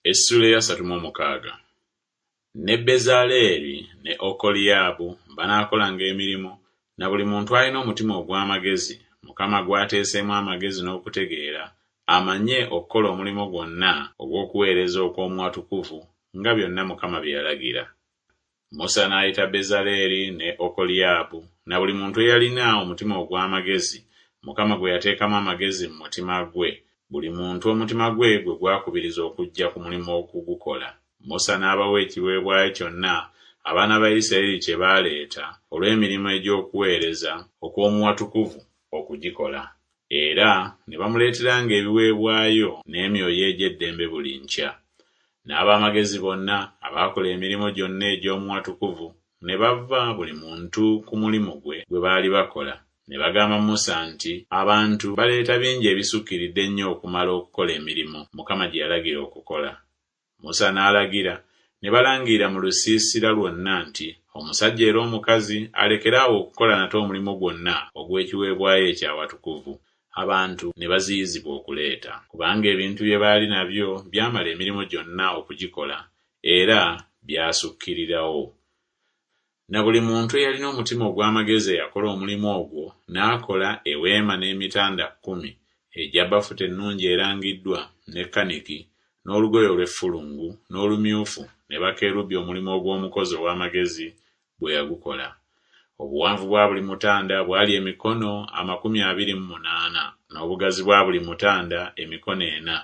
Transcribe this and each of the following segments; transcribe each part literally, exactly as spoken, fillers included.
Essuula ey'asatu mu omukaaga. Ne Bezaleeri ne Okoliyaabu banaakolanga emirimu, na buli muntu alina omutima ogw'amagezi, Mukama gw'ateeseemu amagezi n'okutegeera, amanye okukola omulimu gwonna ogw'okuweereza okw'omu watukuvu, nga byonna Mukama bye yalagira. Musa n'ayita Bezaleeri ne Okoliyaabu na buli muntu eyalina omutima ogw'amagezi, Mukama gwe yateekamu amagezi mu mutima gwe, buli muntu omutima gwe gwe gwakubiriza okujja ku mulimu okugukola. Musa n'abawa ekiweebwayo kyonna abaana ba Isirayiri kye baaleeta olw'emirimu egy'okuweereza okw'omu watukuvu okugikola. Era ne bamuleeteranga ebiweebwayo n'emyoyo egy'eddembe buli nkya. N'ab'amagezi bonna abaakola emirimu gyonna egy'omu watukuvu ne bava buli muntu ku mulimu gwe gwe baali bakola, ne bagamba Musa nti Abantu baleeta bingi ebisukkiridde ennyo okumala okukola emirimu Mukama gye yalagira okukola. Musa n'alagira, ne balangirira mu lusiisira lwonna nti Omusajja era omukazi alekere awo okukola nate omulimu gwonna ogw'ekiweebwayo eky'awatukuvu. Abantu ne baziyizibwa okuleeta, kubanga ebintu bye baali nabyo byamala emirimu gyonna okugikola, era byasukkirirawo. Na buli muntu eyalina omutima ogw'amagezi eyakola omulimu ogwo n'akola eweema n'emitanda kkumi egya bafuta ennungi erangiddwa, ne kaniki, n'olugoye olw'effulungu, n'olumyufu, ne bakerubi omulimu ogw'omukozi ow'amagezi bwe yagukola. Obuwanvu bwa buli mutanda bwali emikono amakumi abiri mu munaana, n'obugazi bwa buli mutanda emikono ena,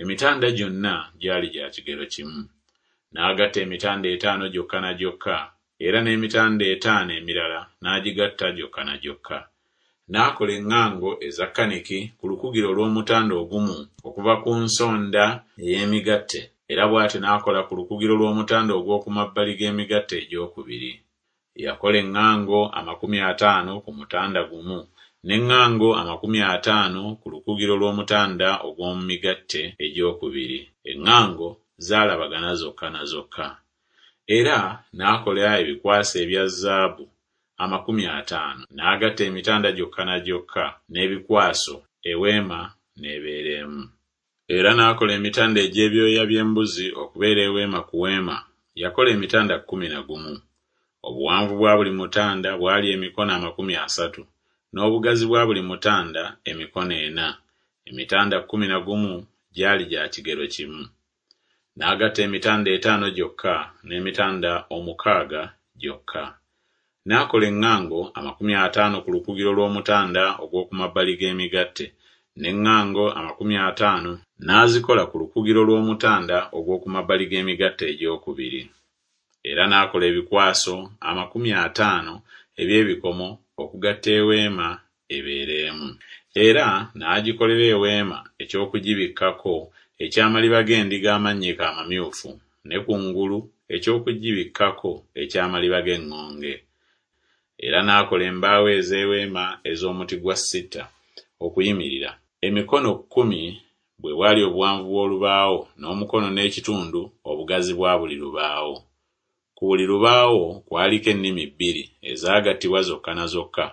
emitanda gyonna gyali gya kigero kimu. N'agatta emitanda etaano gyokka na gyokka, era n'emitanda etaano emirala n'agigatta gyokka na gyokka. N'akola eŋŋango eza kaniki ku lukugiro olw'omutanda ogumu okuva ku nsonda ey'emigatte, era bw'atyo n'akola ku lukugiro lw'omutanda ogw'oku mabbali g'emigatte egyokubiri. Yakola eŋŋango amakumi ataano ku mutanda gumu, n'eŋŋango amakumi ataano ku lukugiro lw'omutanda ogw'omu migatte egyokubiri. Eŋŋango zaalabagana zokka na zokka. Era n'akola ebikwaso ebya zaabu amakumi ataano, n'agatta emitanda gyokka na gyokka n'ebikwaso, eweema n'ebeera emu. Era n'akola emitanda egy'ebyoya by'embuzi okubeera eweema ku weema, yakola emitanda kkumi na gumu. Obuwanvu bwa buli mutanda bwali emikono amakumi asatu, n'obugazi bwa buli mutanda emikono ena, emitanda kkumi na gumu gyali gya kigero kimu. N'agatta emitanda etaano gyokka n'emitanda omukaaga gyokka. N'akola eŋŋango amakumi ataano ku lukugiro lw'omutanda ogw'oku mabbali g'emigatte, n'eŋŋango amakumi ataano n'azikola ku lukugiro lw'omutanda ogw'oku mabbali g'emigatte egyokubiri. Era n'akola ebikwaso amakumi ataano eby'ebikomo okugatta eweema ebeere emu. Era n'agikolera eweema eky'okugibikkako eky'amaliba g'endiga amannyike amamyufu, ne kungulu eky'okugibikkako eky'amaliba g'eŋŋonge. Era n'akola embaawo ez'eweema ez'omuti gwa sita okuyimirira. Emikono kkumi bwe bwali obuwanvu bw'olubaawo, n'omukono n'ekitundu obugazi bwa buli lubaawo. Ku buli lubaawo kwaliko ennimi bbiri ezaagattibwa zokka na zokka,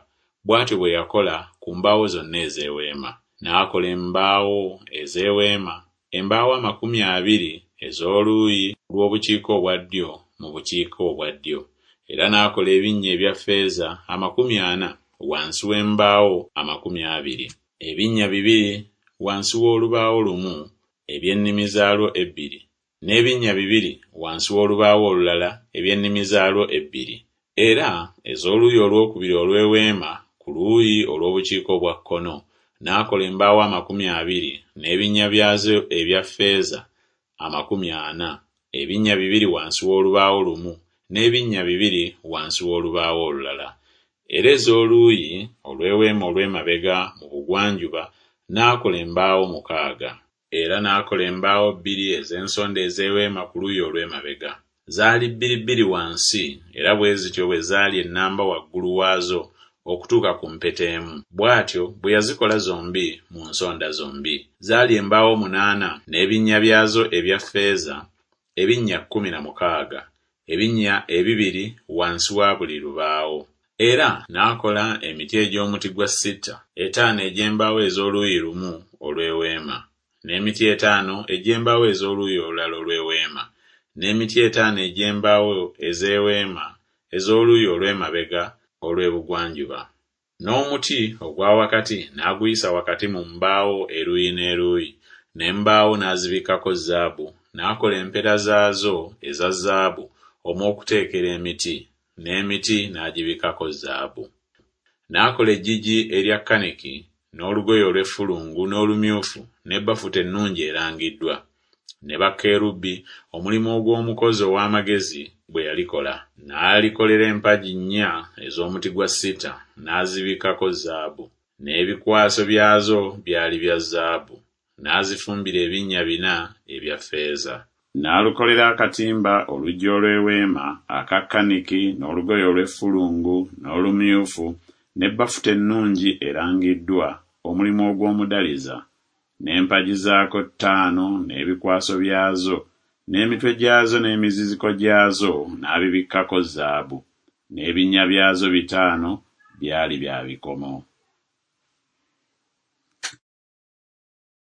bw'atyo bwe yakola ku mbaawo zonna ez'eweema. N'akola embaawo ez'eweema, embaawo amakumi abiri ez'oluuyi lw'obukiika obwa ddyo mu bukiika obwa ddyo. Era n'akola ebinnya ebya ffeeza amakumi ana wansi w'embaawo amakumi abiri, ebinnya bibiri wansi w'olubaawo lumu eby'ennimi zaalwo ebbiri, n'ebinnya bibiri wansi w'olubaawo olulala eby'ennimi zaalwo ebbiri. Era ez'oluuyi olwokubiri olw'eweema ku luuyi olw'obukiika obwa kkono n'akola embaawo amakumi abiri n'ebinnya byazo ebya ffeeza amakumi ana, ebinnya bibiri wansi w'olubaawo lumu n'ebinnya bibiri wansi w'olubaawo olulala. Era ez'oluuyi olw'eweema olw'emabega mu bugwanjuba n'akola embaawo mukaaga. Era n'akola embaawo bbiri ez'ensonda ez'eweema ku luuyi olw'emabega. Zaali bbiri bbiri wansi, era bwe zityo bwe zaali ennamba waggulu waazo okutuuka ku mpeta emu. Bw'atyo bwe yazikola zombi mu nsonda zombi. Zaali embaawo munaana n'ebinnya byazo ebya ffeeza, ebinnya kkumi na mukaaga, ebinnya ebibiri wansi wa buli lubaawo. Era n'akola emiti egy'omuti gwa sita, etaano egy'embaawo ez'oluuyi lumu olw'eweema, N'emiti etaano egy'embaawo ez'oluuyi olulala olw'eweema, n'emiti etaano egy'embaawo ez'eweema ez'oluuyi olw'emabega olw'ebugwanjuba. N'omuti ogwa wakati n'aguyisa wakati mu mbaawo eruuyi n'eruuyi, n'embaawo n'azibikkako zaabu, n'akola empeta zaazo eza zaabu omw'okuteekera emiti, n'emiti n'agibikkako zaabu. N'akola eggigi erya kaniki n'olugoye olw'effulungu n'olumyufu ne bafuta ennungi erangiddwa, ne bakerubi, omulimu ogw'omukozi ow'amagezi bwe yalikola. N'alikolera empagi nnya ez'omuti gwa sita, n'azibikkako zaabu. N'ebikwaso byazo byali bya zaabu, n'azifumbira ebinnya bina ebya ffeeza. N'alukolera akatimba oluggi olw'eweema aka kaniki n'olugoye olw'effulungu n'olumyufu ne bafuta ennungi erangiddwa, omulimu ogw'omudaliza. N'empagi zaako ttaano n'ebikwaso byazo n'emitwe gyazo n'emiziziko gyazo n'abibikkako zaabu. N'ebinnya byazo bitaano byali bya bikomo.